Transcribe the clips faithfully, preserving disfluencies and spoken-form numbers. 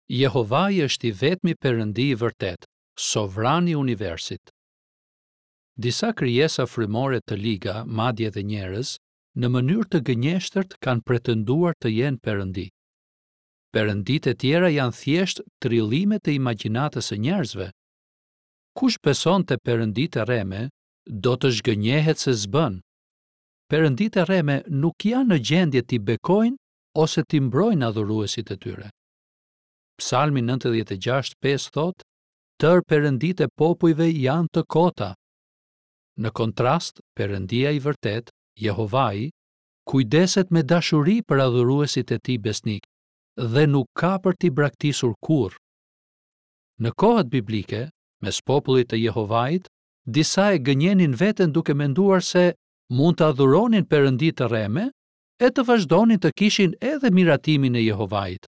Jehovai është i vetmi Perëndi i vërtetë, sovran i universit. Disa krijesa frymore të liga, madje edhe njerëz, në mënyrë të gënjeshtërt kanë pretenduar të jenë perëndi. Perënditë e tjera janë thjesht trillime të imagjinatës së njerëzve. Kush beson te perënditë e rreme, do të zhgënjehet se s'bën. Perënditë e rreme nuk janë në gjendje t'i bekojnë ose t'i mbrojnë adhuruesit e tyre. Psalmi nëntëdhjetë e gjashtë pesë thotë: Tërë perënditë e popujve janë të kota. Në kontrast, Perëndia i vërtetë, Jehovai, kujdeset me dashuri për adhuruesit e tij besnik dhe nuk ka për t'i braktisur kurrë. Në kohët biblike, mes popullit të Jehovait, disa e gënjenin veten duke menduar se mund të adhuronin perëndi të rreme e të vazhdonin të kishin edhe miratimin e Jehovait.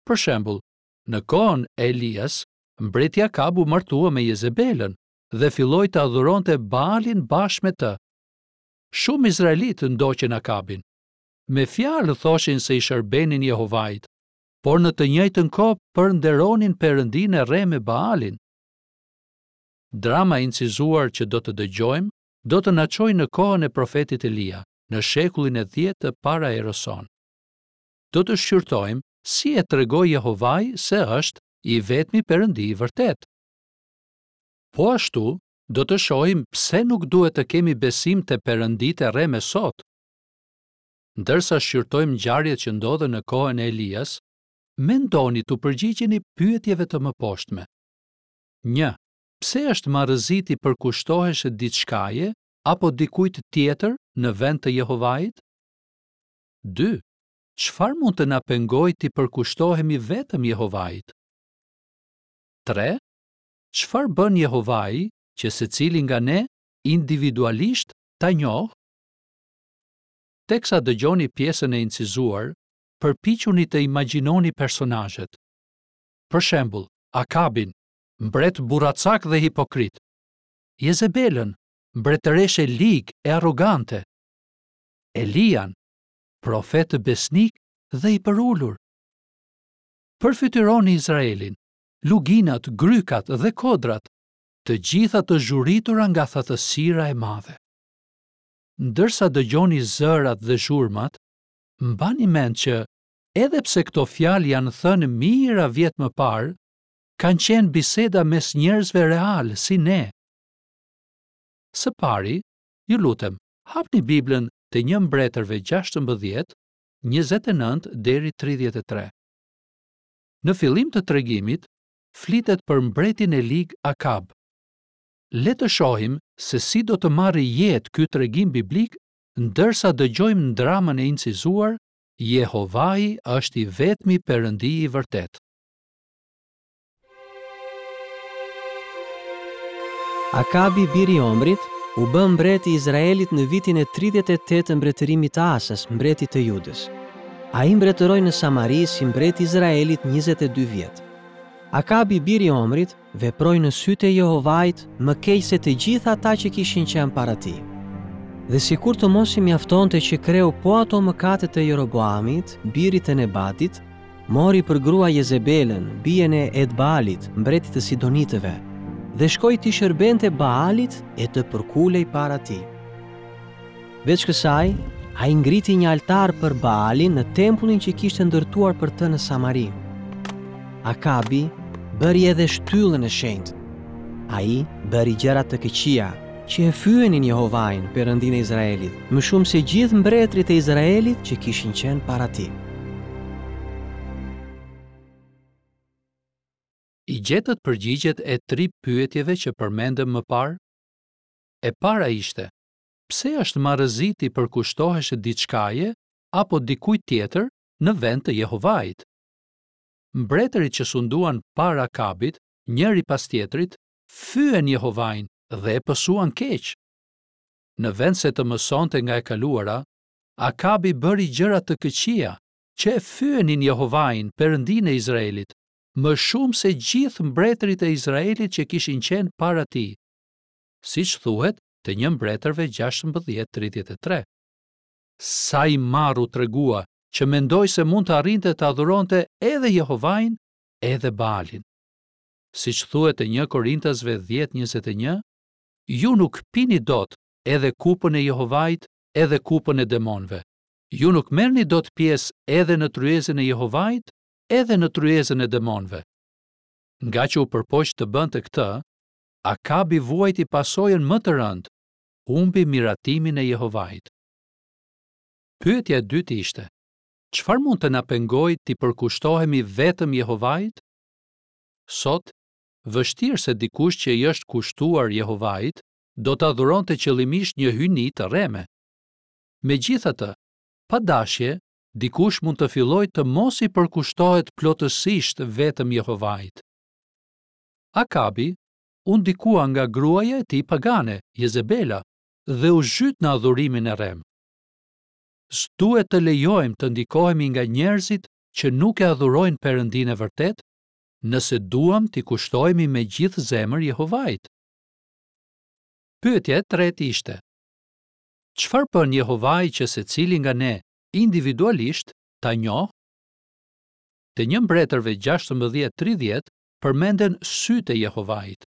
Për shembull, në kohën e Elias, mbreti Akab u martua me Jezebelën dhe filloi të adhuronte Baalin bashkë me të. Shumë izraelitë ndoqën Akabin. Me fjalë thoshin se i shërbenin Jehovait, por në të njëjtën kohë përnderonin perëndinë e rreme Baalin. Drama e incizuar që do të dëgjojmë do të na çojë në kohën e profetit Elia, në shekullin e dhjetë të para erës sonë. Do të shqyrtojmë si e tregoi Jehovai se është i vetmi Perëndi i vërtetë. Po ashtu, do të shohim pse nuk duhet të kemi besim te perënditë e rreme sot. Ndërsa shqyrtojmë ngjarjet që ndodhën në kohën e Elias, mendoni t'u përgjigjeni pyetjeve të mëposhtme. Një. Pse është marrëzi t'i përkushtohesh diçkaje apo dikujt tjetër në vend të Jehovait? Dy. Çfarë mund të na pengojë t'i përkushtohemi vetëm Jehovait? Tre. Çfarë bën Jehovai që secili nga ne individualisht ta njohë? Teksa dëgjoni pjesën e incizuar, përpiquni të imagjinoni personazhet. Për shembull, Akabin, mbret burracak dhe hipokrit. Jezebelën, mbretëreshë e ligë e arrogante. Elian, profet besnik dhe i përulur. Përfytyroni Izraelin, luginat, grykat dhe kodrat, të gjitha të zhuritura nga thatësira e madhe. Ndërsa dëgjoni zërat dhe zhurmat, mbani mend që, edhe pse këto fjalë janë thënë mijëra vjet më parë, kanë qenë biseda mes njerëzve real si ne. Së pari, ju lutem, hapni Biblën te një Mbretërve gjashtëmbëdhjetë, njëzet e nëntë deri tridhjetë e tre. Në fillim të tregimit, flitet për mbretin e lig Akab. Le të shohim se si do të marrë jetë ky tregim biblik ndërsa dëgjojmë dramën e incizuar Jehovai është i vetmi Perëndi i vërtetë. Akabi, biri i Omrit, u bë mbret i Izraelit në vitin e tridhjetë e tetë të mbretërimit të Asës, mbretit të Judës. Ai mbretëroi në Samari si mbret i Izraelit njëzet e dy vjet. Akabi, biri i Omrit, veproi në sytë e Jehovait më keq se të gjithë ata që kishin qenë para tij. Dhe sikur të mos i mjaftonte që kreu po ato mëkate të Jeroboamit, birit të Nebatit, mori për grua Jezebelën, bijën e Edbaalit, mbretit të Sidonitëve, dhe shkoi t'i shërbente Baalit e të përkulej para tij. Veç kësaj, ai ngriti një altar për Baalin në tempullin që kishte ndërtuar për të në Samari. Akabi bëri edhe shtyllën e shenjtë. Ai bëri gjëra të këqija që e fyenin Jehovain, Perëndinë e Izraelit, më shumë se gjithë mbretërit e Izraelit që kishin qenë para tij. I gjetët përgjigjet e tri pyetjeve që përmendëm më parë? E para ishte, pse është marrëzi t'i përkushtohesh diçkaje apo dikujt tjetër në vend të Jehovait? Mbretërit që sunduan para Akabit, njëri pas tjetrit, fyen Jehovain dhe e pësuan keq. Në vend se të mësonte nga e kaluara, Akabi bëri gjëra të këqija që e fyenin Jehovain, Perëndinë e Izraelit, më shumë se gjithë mbretërit e Izraelit që kishin qenë para tij, siç thuhet te një Mbretërve gjashtëmbëdhjetë tridhjetë e tre. Sa i marr u tregua që mendoi se mund të arrinte të adhuronte edhe Jehovain edhe Baalin. Siç thuhet te një Korintasve dhjetë njëzet e një, ju nuk pini dot edhe kupën e Jehovait edhe kupën e demonëve. Ju nuk merrni dot pjesë edhe në tryezën e Jehovait edhe në tryezën e demonëve. Ngaqë u përpoq të bënte këtë, Akabi vuajti pasojën më të rëndë, humbi miratimin e Jehovait. Pyetja e dytë ishte, çfarë mund të na pengojë t'i përkushtohemi vetëm Jehovait? Sot, vështirë se dikush që i është kushtuar Jehovait do të adhuronte qëllimisht një hyjni të rreme. Megjithatë, pa dashje, dikush mund të fillojë të mos i përkushtohet plotësisht vetëm Jehovait. Akabi u ndikua nga gruaja e tij pagane, Jezebela, dhe u zhyt në adhurimin e rremë. S'duhet të lejojmë të ndikohemi nga njerëzit që nuk e adhurojnë Perëndinë e vërtetë, nëse duam t'i kushtohemi me gjithë zemër Jehovait. Pyetja e tretë ishte: çfarë bën Jehovai që secili nga ne individualisht ta njohë? Te një Mbretërve gjashtëmbëdhjetë tridhjetë përmenden sytë e Jehovait.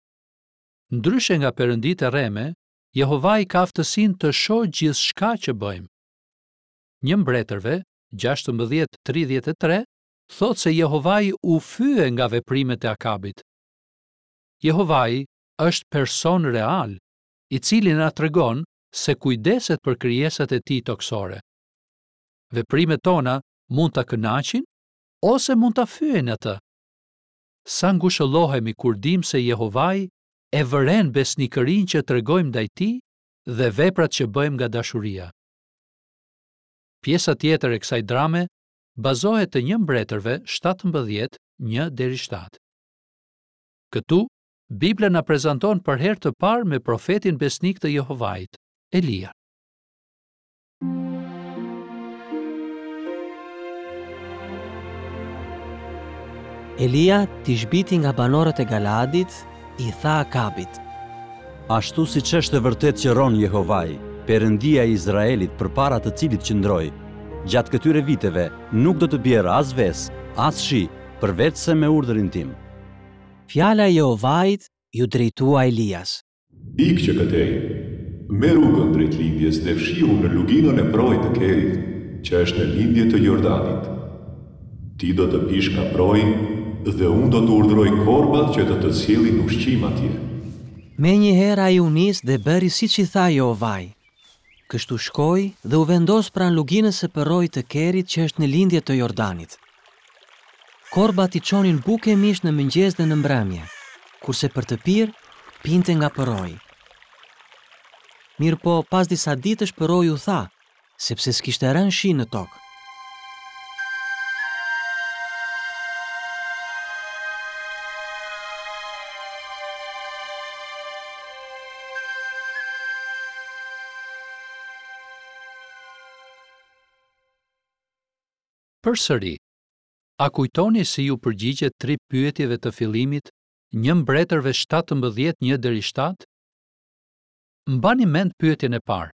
Ndryshe nga perënditë e rreme, Jehovai ka aftësinë të shohë gjithçka që bëjmë. Një Mbretërve gjashtëmbëdhjetë tridhjetë e tre thotë se Jehovai u fye nga veprimet e Akabit. Jehovai është person real, i cili na tregon se kujdeset për krijesat e tij tokësore. Veprimet tona mund ta kënaqin ose mund ta fyejnë atë. Sa ngushëllohemi kur dim se Jehovai e vëren besnikërinë që tregojmë ndaj tij dhe veprat që bëjmë nga dashuria. Pjesa tjetër e kësaj drame bazohet te një Mbretërve shtatëmbëdhjetë një deri shtatë. Këtu, Bibla na prezanton për herë të parë me profetin besnik të Jehovait, Elia. Elia, tishbiti nga banorët e Galaadit, i tha Akabit: Ashtu siç është e vërtetë që rron Jehovai, Perëndia e Izraelit përpara të cilit qëndroi, gjatë këtyre viteve nuk do të bjerë as ves, as shi, përveç se me urdhrin tim. Fjala e Jehovait ju drejtua Elias. Ik që këtej, me rrugën drejt lindjes dhe fshihu në luginën e proit të Kerit, që është në lindje të Jordanit. Ti do të pish nga proi dhe unë do të urdhëroj korbat që të të sjellin ushqim atje. Menjëherë ai u nis dhe bëri siç i tha Jehovai. Kështu shkoi dhe u vendos pranë luginës së përroit të Kerit që është në lindje të Jordanit. Korbat i çonin bukë e mish në mëngjes dhe në mbrëmje, kurse për të pirë pinte nga përroi. Mirëpo, pas disa ditësh përroi u tha, sepse s'kishte rënë shi në tokë. Përsëri, a kujtoni si ju përgjigjet tri pyetjeve të fillimit një Mbretërve shtatëmbëdhjetë një deri shtatë? Mbani mend pyetjen e parë.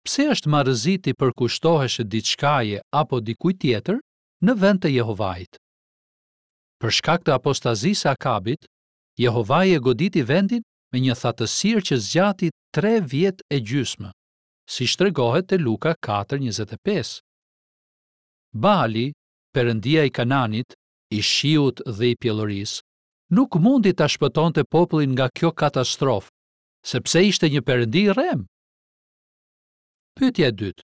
Pse është marrëzi t'i përkushtohesh diçkaje apo dikujt tjetër në vend të Jehovait? Për shkak të apostazisë së Akabit, Jehovai e goditi vendin me një thatësirë që zgjati tre vjet e gjysmë, siç tregohet te Luka katër njëzet e pesë. Baali, perëndia i Kananit, i shiut dhe i pjellorisë, nuk mundi ta shpëtonte popullin nga kjo katastrofë, sepse ishte një perëndi i rrem. Pyetja e dytë.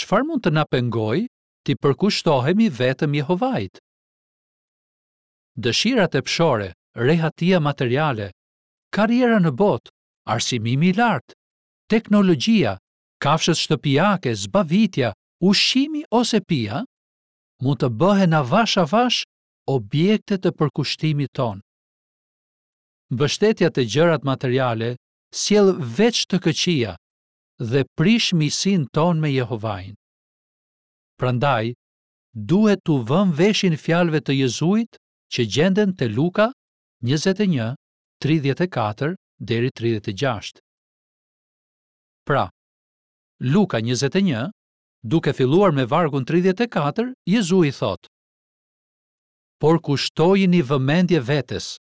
Çfarë mund të na pengojë t'i përkushtohemi vetëm Jehovait? Dëshirat e pshore, rehatia materiale, karriera në botë, arsimimi i lartë, teknologjia, kafshët shtëpiake, zbavitja, ushqimi ose pija, mund të bëhen avash avash objekte të përkushtimit ton. Mbështetja te gjërat materiale sjell veç të këqija dhe prish miqësinë tonë me Jehovain. Prandaj, duhet t'u vëmë veshin fjalëve të Jezuit që gjenden te Luka njëzet e një, tridhjetë e katër deri tridhjetë e gjashtë. Pra, Luka njëzet e një, duke filluar me vargun tridhjetë e katër, Jezui thotë: Por kushtojini vëmendje vetes,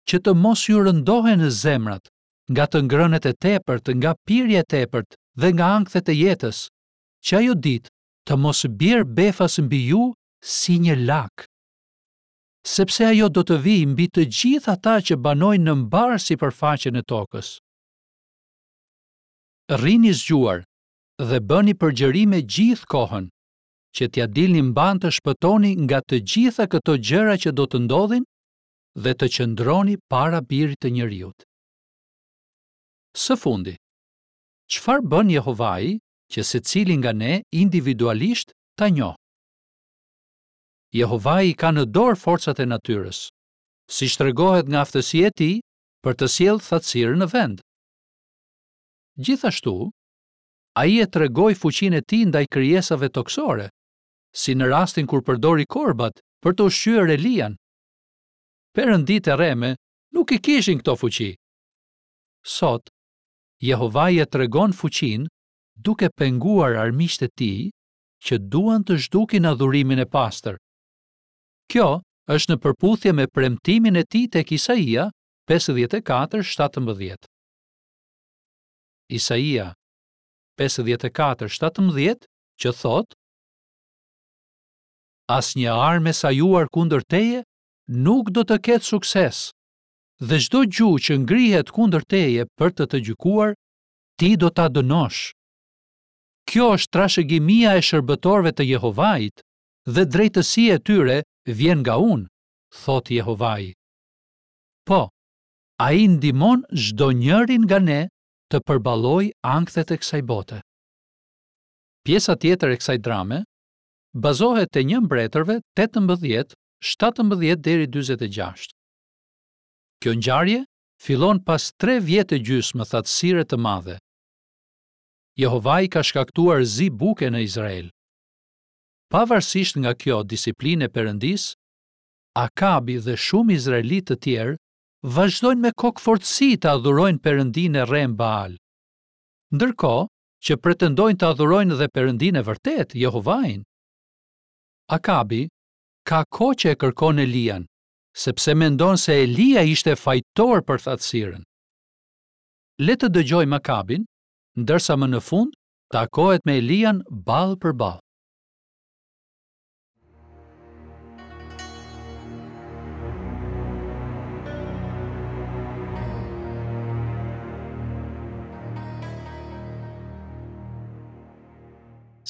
që të mos ju rëndohen zemrat nga të ngrënët e tepërt, nga pirja e tepërt dhe nga ankthet e jetës, që ajo ditë të mos bjerë befas mbi ju si një lak. Sepse ajo do të vijë mbi të gjithë ata që banojnë në mbarë sipërfaqen e tokës. Rrini zgjuar dhe bëni përgjërime gjithë kohën, që t'ia dilni mbanë të shpëtoni nga të gjitha këto gjëra që do të ndodhin dhe të qëndroni para Birit të Njeriut. Së fundi, çfarë bën Jehovai që secili nga ne individualisht ta njohë? Jehovai ka në dorë forcat e natyrës, siç tregohet nga aftësia e tij për të sjellë thatësirën në vend. Gjithashtu, ai e tregoi fuqinë e tij ndaj krijesave tokësore, si në rastin kur përdori korbat për të ushqyer Elian. Perënditë e rreme nuk i kishin këto fuqi. Sot, Jehovai e tregon fuqinë duke penguar armiqtë e tij që duan të zhdukin adhurimin e pastër. Kjo është në përputhje me premtimin e tij tek Isaia pesëdhjetë e katër shtatëmbëdhjetë. Isaia pesëdhjetë e katër shtatëmbëdhjetë që thotë: Asnjë armë e sajuar kundër teje nuk do të ketë sukses, dhe çdo gjuhë që ngrihet kundër teje për të të gjykuar, ti do ta dënosh. Kjo është trashëgimia e shërbëtorëve të Jehovait dhe drejtësia e tyre vjen nga unë, thotë Jehovai. Po, ai ndihmon çdo njërin nga ne të përballojë ankthet e kësaj bote. Pjesa tjetër e kësaj drame bazohet te një Mbretërve tetëmbëdhjetë, shtatëmbëdhjetë deri dyzet e gjashtë. Kjo ngjarje fillon pas tre vjet e gjysmë thatësire të madhe. Jehovai ka shkaktuar zi buke në Izrael. Pavarësisht nga kjo disiplinë e Perëndisë, Akabi dhe shumë izraelitë të tjerë vazhdojnë me kokëfortësi të adhurojnë Perëndinë e rremë Baal. Ndërkohë që pretendojnë të adhurojnë dhe Perëndinë e vërtetë, Jehovain. Akabi ka kohë që e kërkon Elian, sepse mendon se Elia ishte fajtor për thatësirën. Le të dëgjojmë Akabin, ndërsa më në fund takohet me Elian ballë për ballë.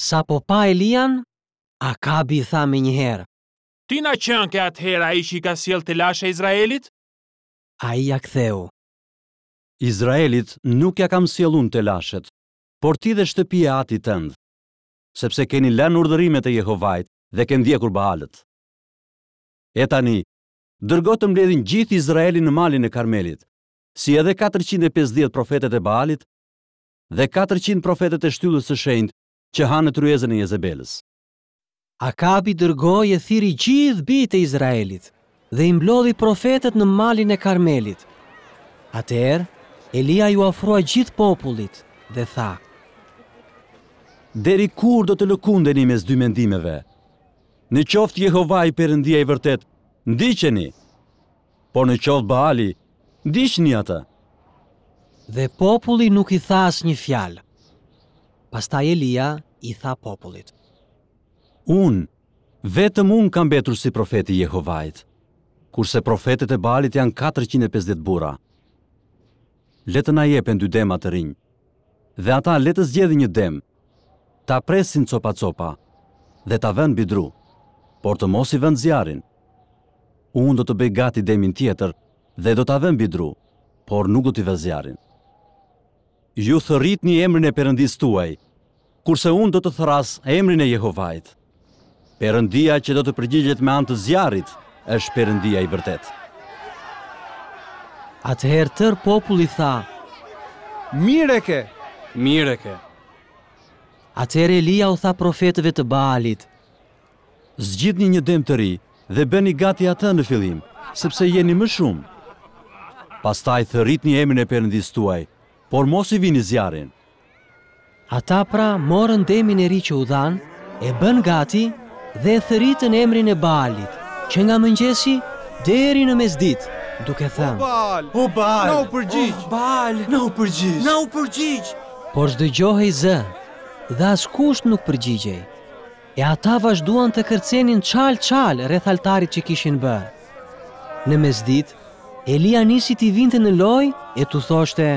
Sapo pa Elian, Akabi tha menjëherë: Ti na qenke atëherë ai që i ka sjellë telashe Izraelit? Ai ia ktheu: Izraelit nuk ia kam sjellë unë telashet, por ti dhe shtëpia e atit tënd, sepse keni lënë urdhërimet e Jehovait dhe ke ndjekur Baalët. E tani, dërgo të mbledhin gjithë Izraelin në malin e Karmelit, si edhe katërqind e pesëdhjetë profetët e Baalit dhe katërqind profetët e shtyllës së shenjtë që hanë në tryezën e Jezebelës. Akabi dërgoi e thirri gjithë bijtë e Izraelit dhe i mblodhi profetët në malin e Karmelit. Atëherë, Elia iu afrua gjithë popullit dhe tha: Deri kur do të lëkundeni mes dy mendimeve? Në qoftë Jehovai Perëndia i vërtet, ndiqeni, por në qoftë Baali, ndiqni atë. Dhe populli nuk i tha asnjë fjalë. Pastaj Elia i tha popullit: Unë, vetëm unë kam mbetur si profeti i Jehovait, kurse profetët e Baalit janë katërqind e pesëdhjetë burra. Le të na jepen dy dema të rinj, dhe ata le të zgjedhin një dem, ta presin copa-copa dhe ta vënë mbi dru, por të mos i vënë zjarrin. Unë do të bëj gati demin tjetër dhe do ta vë mbi dru, por nuk do t'i vë zjarrin. Ju thërritni emrin e Perëndisë tuaj, kurse unë do të thërras emrin e Jehovait. Perëndia që do të përgjigjet me anë të zjarrit është Perëndia i vërtetë. Atëherë tërë populli tha: Mirë e ke! Mirë e ke! Atëherë Elia u tha profetëve të Baalit: Zgjidhni një dem të ri dhe bëni gati atë në fillim, sepse jeni më shumë. Pastaj thërritni emrin e Perëndisë tuaj, por mos i vini zjarrin. Ata pra morën demin e ri që u dhanë, e bënë gati dhe e thërritën emrin e Baalit. që nga mëngjesi deri në mesditë, duke thënë: O Baal, O Baal, na u përgjigj. O Baal, na u përgjigj. Na u përgjigj. Por s'dëgjohej zë dhe askush nuk përgjigjej. E ata vazhduan të kërcenin çal çal rreth altarit që kishin bërë. Në mesditë, Elia nisi t'i vinte në lojë e t'u thoshte: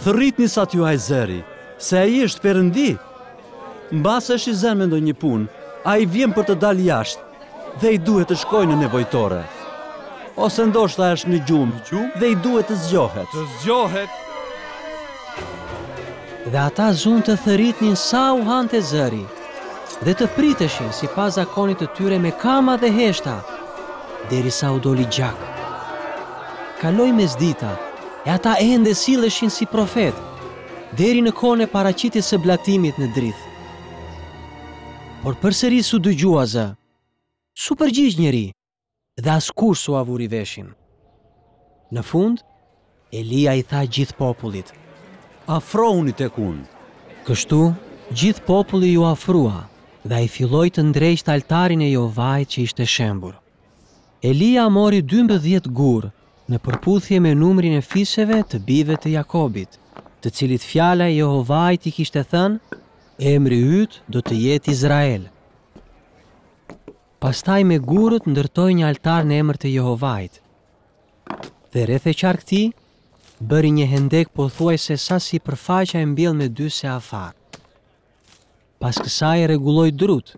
Thërritni sa t'ju haj zëri, se ai është perëndi. Mbase është i zënë me ndonjë punë, ai vjen për të dalë jashtë dhe i duhet të shkojë në nevojtore. Ose ndoshta është në gjumë, dhe i duhet të zgjohet. Të zgjohet. Dhe ata zunë të thërritnin sa u hante zëri dhe të priteshin sipas zakonit të tyre me kama dhe heshta, derisa u doli gjak. Kaloi mesdita, e ata ende silleshin si profet, deri në kohën e paraqitjes së blatimit në drith. Por përsëri s'u dëgjua zë. S'u përgjigj njeri dhe askush s'u avuri veshin. Në fund, Elia i tha gjithë popullit: Afrohuni tek unë. Kështu, gjithë populli ju afrua dhe ai filloi të ndreqte altarin e Jehovait që ishte shembur. Elia mori dymbëdhjetë gurë në përputhje me numrin e fiseve të bijve të Jakobit, të cilit fjala e Jehovait i kishte thënë: Emri yt do të jetë Izrael. Pastaj me gurët ndërtoi një altar në emër të Jehovait. Dhe rreth e qark tij bëri një hendek pothuajse sa sipërfaqja e mbjell me dy seafar. Pas kësaj rregulloi drut,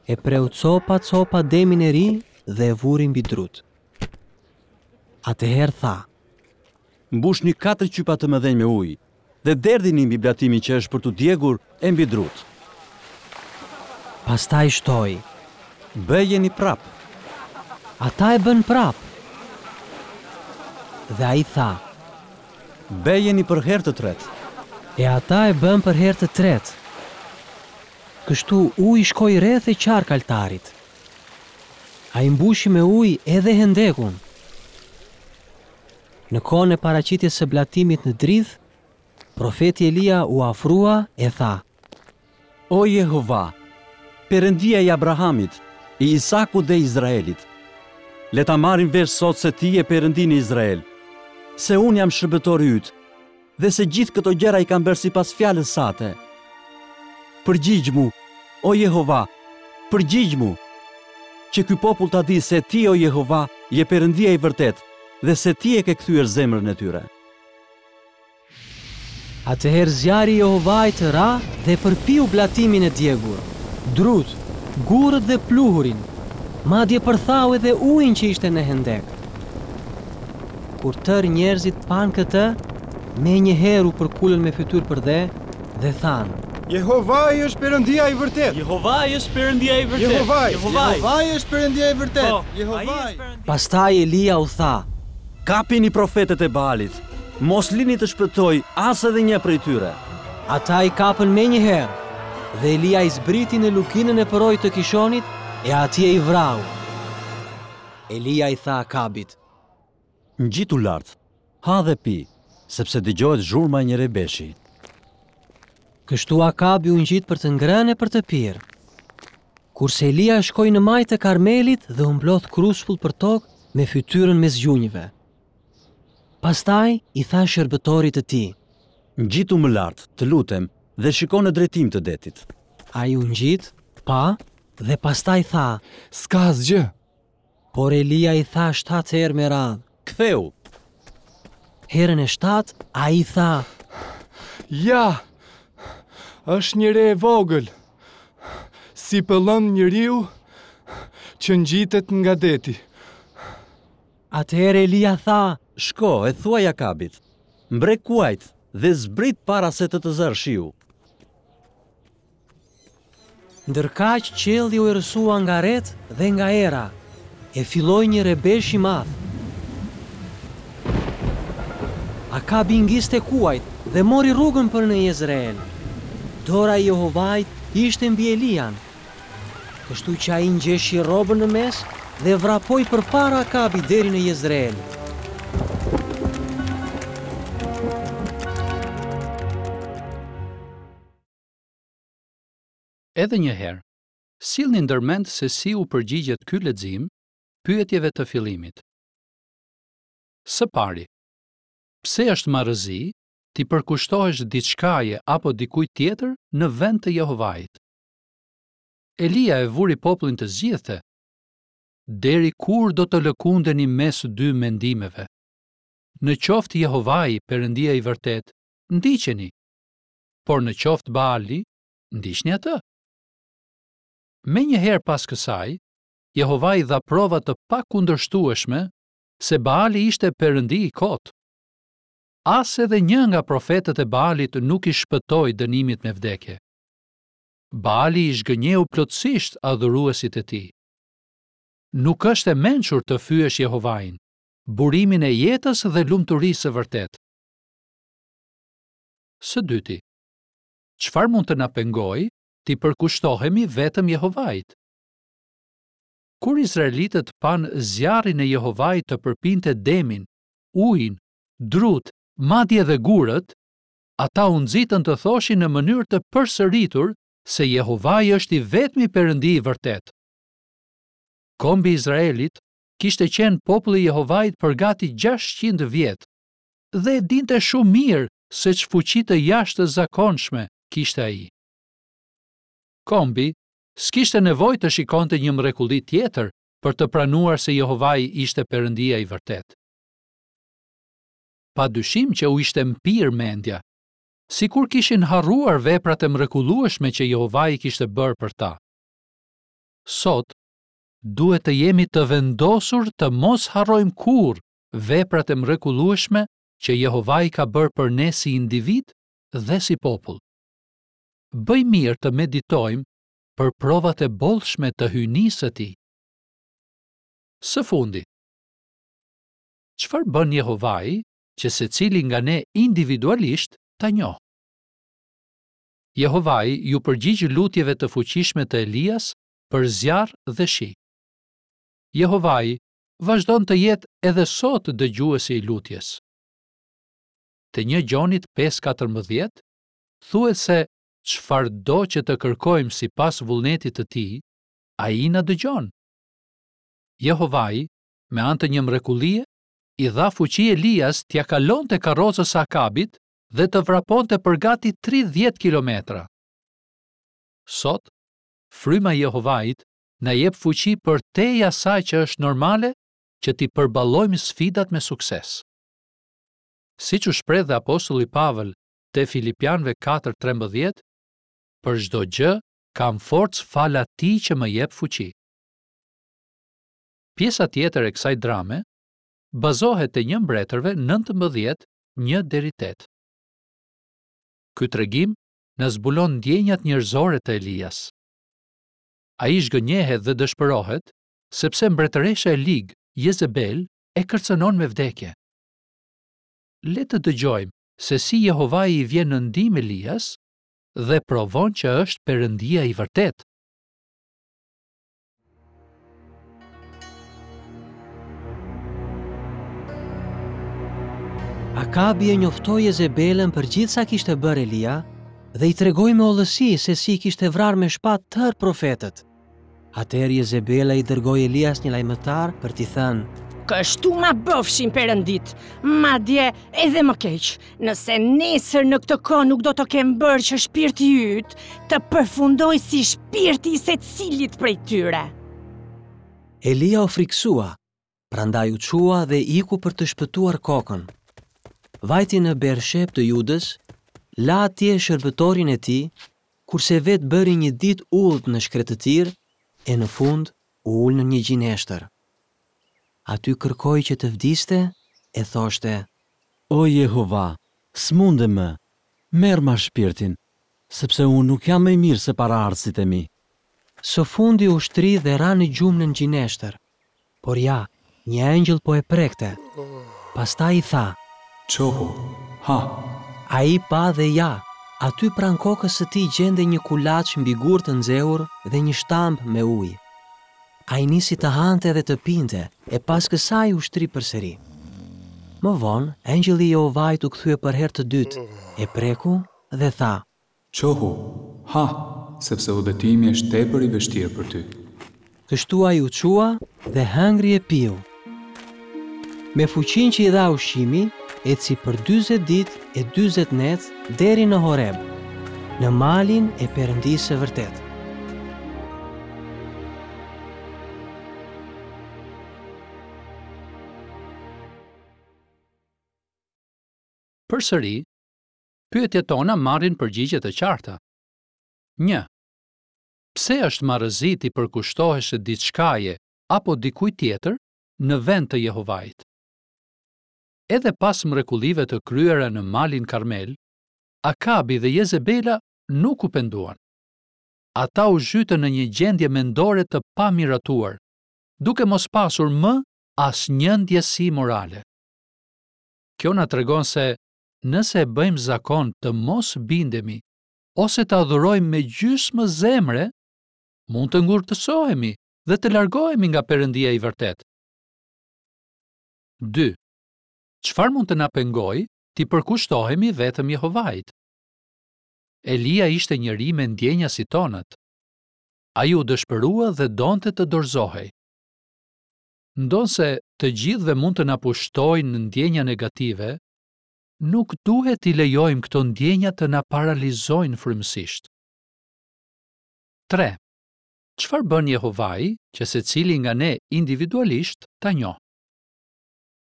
e preu copa copa demin e ri dhe e vuri mbi drut. Atëherë tha: Mbushni katër qypa të mëdhenj me ujë dhe derdhini mbi blatimin që është për t'u djegur e mbi drut. Pastaj shtoi: Bëjeni prap. Ata e bën prap. Dhe ai tha: Bëjeni për herë të tretë. E ata e bën për herë të tretë. Kështu uji shkoi rreth e qark altarit. Ai mbushi me ujë edhe hendekun. Në kohën e paraqitjes së blatimit në drith, profeti Elia u afrua e tha: O Jehova, Perëndia i Abrahamit, i Isakut dhe Izraelit, le ta marrin vesh sot se ti je Perëndi në Izrael, se unë jam shërbëtori yt dhe se gjithë këto gjëra i kam bërë sipas fjalës sate. Përgjigjmu, o Jehova, përgjigjmu, që ky popull ta di se ti, o Jehova, je Perëndia i vërtet dhe se ti e ke kthyer zemrën e tyre. Atëherë zjarri i Jehovait ra dhe përpiu blatimin e djegur, drut, gurët dhe pluhurin, madje përthau edhe ujin që ishte në hendek. Kur tërë njerëzit panë këtë, me njëherë u përkulën me fytyrë për dhe dhe thanë: Jehovai është Perëndia i vërtet. Jehovai është Perëndia i vërtet. Jehovai. Jehovai. Jehovai është Perëndia i vërtet. Po, ai Jehovai. është Perëndia. Pastaj Elia u tha: Kapini profetët e Baalit, mos lini të shpëtoj as edhe një prej tyre. Ata i kapën me njëherë, dhe Elia i zbriti në lukinën e përrojit të Kishonit e atje i vrau. Elia i tha Akabit: Ngjitu lart, ha dhe pi, sepse dëgjohet zhurma e një rebeshi. Kështu Akabi u ngjit për të ngrënë e për të pirë. Kurse Elia shkoi në majë të Karmelit dhe u mblodh kruspull për tokë me fytyrën mes gjunjëve. Pastaj i tha shërbëtorit të tij. Ngjitu më lart, të lutem, dhe shiko në drejtim të detit. Ai u ngjit, pa dhe pastaj tha, S'ka asgjë. por Elia i tha shtatë herë me radhë. Ktheu. Herën e shtatë, ai tha, Ja. Është një re e vogël. Si pëllëm njeriu që ngjitet nga deti. atëherë Elia tha, Shko e thuaj Akabit, mbre kuajt dhe zbrit para se të të zërë shiu. Ndërkaq qielli u errësua nga ret dhe nga era, e filloi një rebesh i madh. Akabi ngiste kuajt dhe mori rrugën për në Jezreel. Dora e Jehovait ishte mbi Elian. Kështu që ai ngjeshi rrobën në mes dhe vrapoi përpara Akabit deri në Jezreel. Edhe një herë, sillni ndërmend se si u përgjigjet ky lexim pyetjeve të fillimit. Së pari, pse është marrëzi t'i përkushtohesh diçkaje apo dikujt tjetër në vend të Jehovait? Elia e vuri popullin të zgjidhte. Deri kur do të lëkundeni mes dy mendimeve? Në qoftë Jehovai, Perëndia i vërtetë, ndiqeni. Por në qoftë Baali, ndiqni atë. Menjëherë pas kësaj, Jehovai dha prova të pakundërshtueshme se Baali ishte perëndi i kotë. As edhe një nga profetët e Baalit nuk i shpëtoi dënimit me vdekje. Baali i zhgënjeu plotësisht adhuruesit e tij. Nuk është e mençur të fyesh Jehovain, burimin e jetës dhe lumturisë së vërtetë. Së dyti, çfarë mund të na pengojë t'i përkushtohemi vetëm Jehovait? Kur izraelitët panë zjarrin e Jehovait të përpinte demin, ujin, drut, madje edhe gurët, ata u nxitën të thoshin në mënyrë të përsëritur se Jehovai është i vetmi Perëndi i vërtetë. Kombi i Izraelit kishte qenë populli i Jehovait për gati gjashtëqind vjet dhe e dinte shumë mirë se ç'fuqi të jashtëzakonshme kishte ai. Kombi s'kishte nevojë të shikonte një mrekulli tjetër për të pranuar se Jehovai ishte Perëndia i vërtetë. Pa dyshim që u ishte mpirë mendja, sikur kishin harruar veprat e mrekullueshme që Jehovai kishte bërë për ta. Sot, duhet të jemi të vendosur të mos harrojmë kurrë veprat e mrekullueshme që Jehovai ka bërë për ne si individ dhe si popull. Bëj mirë të meditojmë për provat e bollshme të hyjnisë së tij. Së fundi, çfarë bën Jehovai që secili nga ne individualisht ta njohë? Jehovai ju përgjigj lutjeve të fuqishme të Elias për zjarr dhe shi. Jehovai vazhdon të jetë edhe sot dëgjuesi i lutjes. Te një Gjonit pesë katërmbëdhjetë thuhet se çfarëdo që të kërkojmë sipas vullnetit të tij, ai na dëgjon. Jehovai, me anë të një mrekullie, i dha fuqi Elias t'ia kalonte karrocës së Akabit dhe të vraponte për gati tridhjetë kilometra. Sot, fryma e Jehovait na jep fuqi për tej asaj që është normale që t'i përballojmë sfidat me sukses. Siç u shpreh dhe apostulli Pavel te Filipianëve katër trembëdhjetë, për çdo gjë kam forcë fal atij që më jep fuqi. Pjesa tjetër e kësaj drame bazohet te një mbretërve nëntëmbëdhjetë, një deri tetë. Ky tregim na zbulon ndjenjat njerëzore të Elias. Ai zhgënjehet dhe dëshpërohet sepse mbretëresha e ligë, Jezebel, e kërcënon me vdekje. Le të dëgjojmë se si Jehovai i vjen në ndihmë Elias dhe provon që është Perëndia i vërtetë. Akabi e njoftoi Jezebelën për gjithë sa kishte bërë Elia dhe i tregoi me hollësi se si i kishte vrarë me shpatë tërë profetët. Atëherë Jezebela i dërgoi Elias një lajmëtar për t'i thënë: Kështu ma bëfshin perëndit, madje edhe më keq, nëse nesër në këtë kohë nuk do të kem bërë që shpirti yt të përfundojë si shpirti i secilit prej tyre. Elia u frikësua, prandaj u çua dhe iku për të shpëtuar kokën. Vajti në Bersheb të Judës, la atje shërbëtorin e tij, kurse vetë bëri një ditë udhë në shkretëtir e në fund u ul në një gjineshtër. Aty kërkoi që të vdiste e thoshte: O Jehova, s'mundem më, merr ma shpirtin, sepse unë nuk jam më i mirë se paraardhësit e mi. Së fundi u shtri dhe ra në gjumë në gjineshtër. Por ja, një engjëll po e prekte. Pastaj i tha: Çohu, ha. Ai pa dhe ja, aty pranë kokës së tij gjendej një kulaç mbi gur të nxehur dhe një shtamb me ujë. Ai nisi të hante dhe të pinte, e pas kësaj u shtri përsëri. Më vonë, engjëlli i Jehovait u kthye për herë të dytë, e preku dhe tha: Çohu, ha, sepse udhëtimi është tepër i vështirë për ty. Kështu ai u çua dhe hëngri e piu. Me fuqinë që i dha ushqimi, eci për dyzet ditë e dyzet net deri në Horeb, në malin e Perëndisë së vërtetë. Përsëri, pyetjet tona marrin përgjigje të qarta. Një. Pse është marrëzi t'i përkushtohesh diçkaje apo dikujt tjetër në vend të Jehovait? Edhe pas mrekullive të kryera në malin Karmel, Akabi dhe Jezebela nuk u penduan. Ata u zhytën në një gjendje mendore të pamiratuar, duke mos pasur më asnjë ndjesi morale. Kjo na tregon se nëse e bëjmë zakon të mos bindemi ose të adhurojmë me gjysmë zemre, mund të ngurtësohemi dhe të largohemi nga Perëndia i vërtetë. Dy. Çfarë mund të na pengojë t'i përkushtohemi vetëm Jehovait? Elia ishte njeri me ndjenja si tonat. Ai u dëshpërua dhe donte të dorëzohej. Ndonëse të gjithëve mund të na pushtojnë ndjenja negative, nuk duhet t'i lejojmë këto ndjenja të na paralizojnë frymësisht. Tre. Çfarë bën Jehovai që secili nga ne individualisht ta njohë?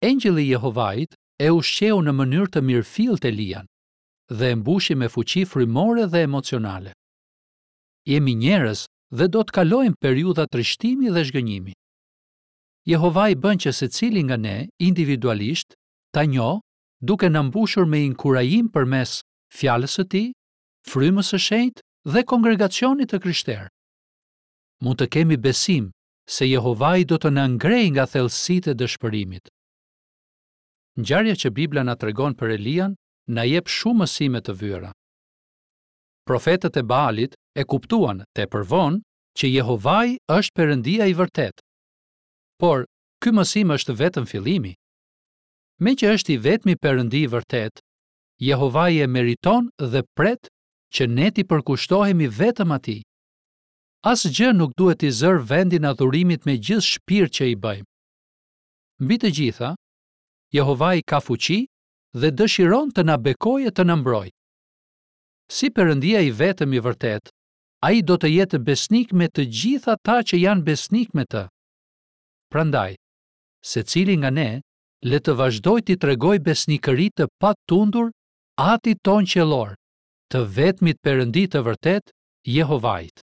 Engjëlli i Jehovait e ushqeu në mënyrë të mirëfilltë Elian dhe e mbushi me fuqi frymore dhe emocionale. Jemi njerëz dhe do të kalojmë periudha trishtimi dhe zhgënjimi. Jehovai bën që secili nga ne individualisht ta njohë duke na mbushur me inkurajim përmes fjalës së tij, frymës së shenjtë dhe kongregacionit të krishterë. Mund të kemi besim se Jehovai do të na ngrejë nga thellësitë e dëshpërimit. Ngjarja që Bibla na tregon për Elian na jep shumë mësime të vyera. Profetët e Baalit e kuptuan tepër vonë që Jehovai është Perëndia i vërtetë. Por, ky mësim është vetëm fillimi. Meqë është i vetmi Perëndi i vërtetë, Jehovai e meriton dhe pret që ne t'i përkushtohemi vetëm atij. Asgjë nuk duhet t'i zërë vendin adhurimit me gjithë shpirt që i bëjmë. Mbi të gjitha, Jehovai ka fuqi dhe dëshiron të na bekojë e të na mbrojë. Si Perëndia i vetëm i vërtetë, ai do të jetë besnik me të gjithë ata që janë besnik me të. Prandaj, secili nga ne le të vazhdojë t'i tregojë besnikëri të patundur Atit tonë qiellor, të vetmit Perëndi të vërtetë, Jehovait.